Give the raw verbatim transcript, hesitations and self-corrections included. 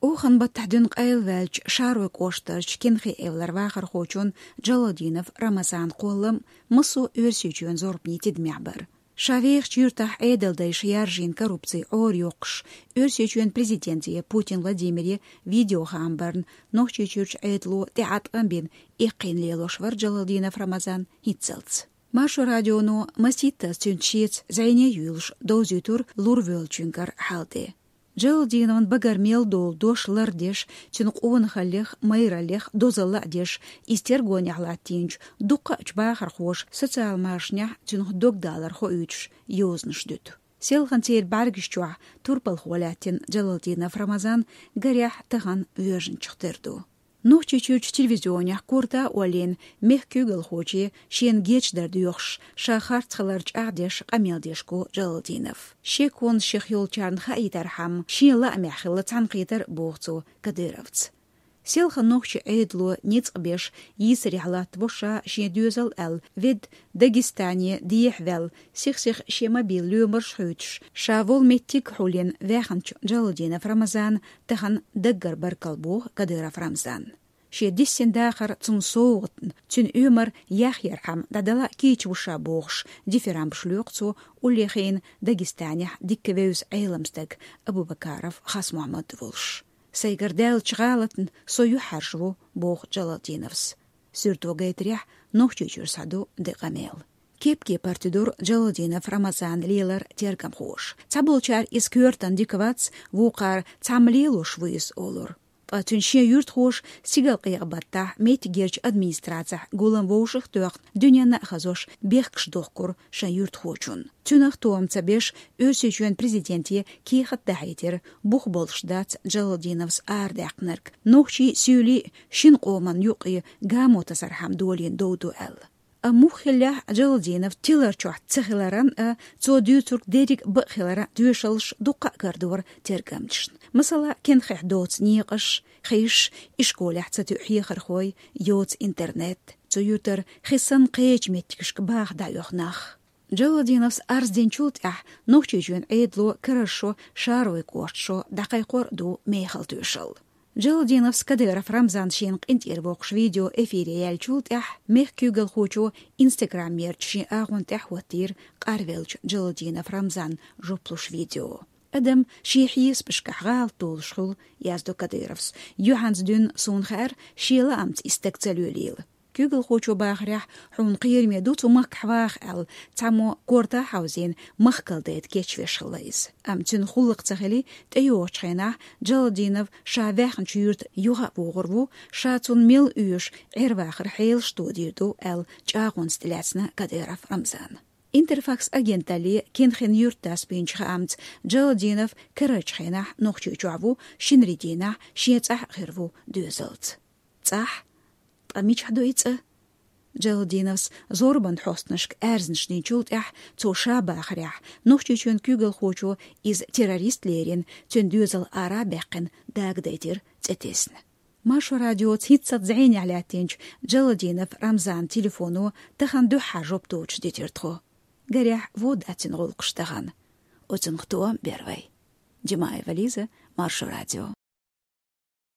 Оханан баттахь дуьйна къайлаваьллачу Шаройн кӀоштарчу Кенхи-Эвлара вахархочун Джалалдинов Рамазанан кхоллам массо а Оьрсийчоьнан зорбанийн тидамехь бара. Ша вехачу юьртахь Ӏедалдайша яржийна коррупци Ӏорайоккхуш, Оьрсийчоьнан президенте Путин Владимире видеохаам барна Нохчийчуьрчу Ӏедало тӀеӀаткъам бина эккхийна лелош вара Джалалдинов Рамазан хӀинццалц. Маршо радионо масийттаза цуьнца шеца зӀене а юьйлуш довзуьйтура лур воьллачуьнгара хьал тӀе. Джалалдиновн багара мел долу дош лардеш, цуьнан къонахаллех, майраллех дозалла а деш, иза тергонехь латтийначу дуккха а чу бахархоша социал машанехь цуьнан догдалар хоуьйтуш йозанаш дуьту. Селхана церан бӀаьргаш чохь турпалхо лаьттина Джалалдинов Рамазан гарехь тахана воьжначух тера ду. Нохчийчуьрчу телевизионехь корта а оллийна, мехкан куьйгалхоче шена гечдар доьхуш, ша харц хилар чӀагӀдеш къамел деш го Джалалдинов. Шеконаш шех йолчарна хаийтархьама, шен лаамехь хилла цхьаьнакхетар а боху цо Кадыровца. Селхана нохчийн Ӏедало ницкъ беш йийсарехь латтаво ша шен доьзал аьлла, ведда Дагестане дехьаваьлла, сих-сиха шен мобил лоьмарш а хуьйцуш, ша волу меттиг а хьулйина ваьхначу Джалалдинов Рамазана тахана даггара баркалла боху Кадыров Рамзанна. Шен диссина дахар цунна совгӀатна, цуьнан оьмар яхъярхьама дӀадала а кийча ву ша бохуш, дифирамбаш лоькху цо уллехь Дагестанехь дикка вевза Ӏелам стаг Абубакаров Хасмухьаммад волуш. Сайгара даьллачу гӀалатна со юьхьӀаьржа ву, боху Джалалдиновс. Суьрто гайтарехь, Нохчийчуьра схьаду де къамел. Кеп-кепара тидира Джалалдинов Рамазанан лелар тергамхоша. Цхьаболчара иза коьртана дика вац, вукхара цхьамма лелош ву иза олура. Ткъа цуьнан шен юьртахоша стигалкъекъа баттахь меттигерчу администрацехь гулам вовшах а тоьхна, дуьненна а хазош, бехкаш дохкура шайн юьртахочунна. Цуьнах тоам ца беш, Оьрсийчоьнан президенте кехат дахьийтира, бух болуш дац Джалалдиновс арадаьккхинарг, нохчий а, суьйлий а шина къоман юккъе гамо тасархьама долийна дов ду аьлла. Амма муха хиллехь а, Джалалдинов тилар чохь ца хиларан а, цо дуьйцург дерриг а бакъ хиларан а тоьшаллаш дуккха а карадора тергамчашна. Масала, Кенхехь доцу некъаш, хиш, ишколехь ца тоьу хьехархой, йоцу интернет. Цу юьртара хи санна кхечу меттигашка баха дӀаоьху нах. Джалалдиновс арз динчул тӀаьхьа Нохчийчоьнан Ӏедало карара шо, Шаройн кӀоштан шо дӀакхайкхор а ду мехала тоьшалла. Джалалдиновс Кадыров Рамзан шена къинтӀера воккхуш видео эфире яьллачул тӀаьхьа мехкан куьйгалхочо Instagram-ерчу шен агӀон тӀехь хӀоттийра къарвеллачу Джалалдинов Рамзанна жоп луш видео. Адам шен хьесапашкахь гӀалат долуш хуьлу, яздо Кадыровс. Юьхьанца дуьйна суна хаьара, шен лаамца и стаг ца лоьлийла. Куьйгалхочо бахарехь, хьуна кхераме ду цу махкахь ваха аьлла, цхьаммо корта а хьовзийна, махкал дайта кечвеш хилла иза. Амма цуьнан гӀуллакх ца хили, тӀейогӀучу хенахь Джалалдинов ша ваьхначу юьрта юха а вогӀур ву, ша цунна мел оьшу Ӏер-вахаран хьелаш тодийр ду аьлла, чӀагӀонца тӀелаьцна Кадыров Рамзана. Интерфакс агенталле Кенхин юьртдас бинчу хаамца, Джалалдинов карарчу хенахь Нохчийчохь ву, шинарин дийнахь шен цӀахь а хир ву доьзалца. ЦӀахь? Ткъа мичахь ду и цӀа? Джалалдиновс зорбан хьостанашка аьрзнаш динчул тӀаьхьа, цо ша бахарехь, Нохчийчоьнан куьйгалхочо иза террорист лерина, цуьнан доьзал ара а баьккхина, дагадайтира цӀе тесна. Маршо радиоца хӀинццалц зӀенехь лаьттинчу Джалалдинов Рамзанан телефоно тахана дуьххьара жоп доцуш дитира тхо. Гарехь, вон дац цуьнан гӀуллакхаш тахана. Оцунах тоам бер вай. Димаева Лиза, Маршо радио.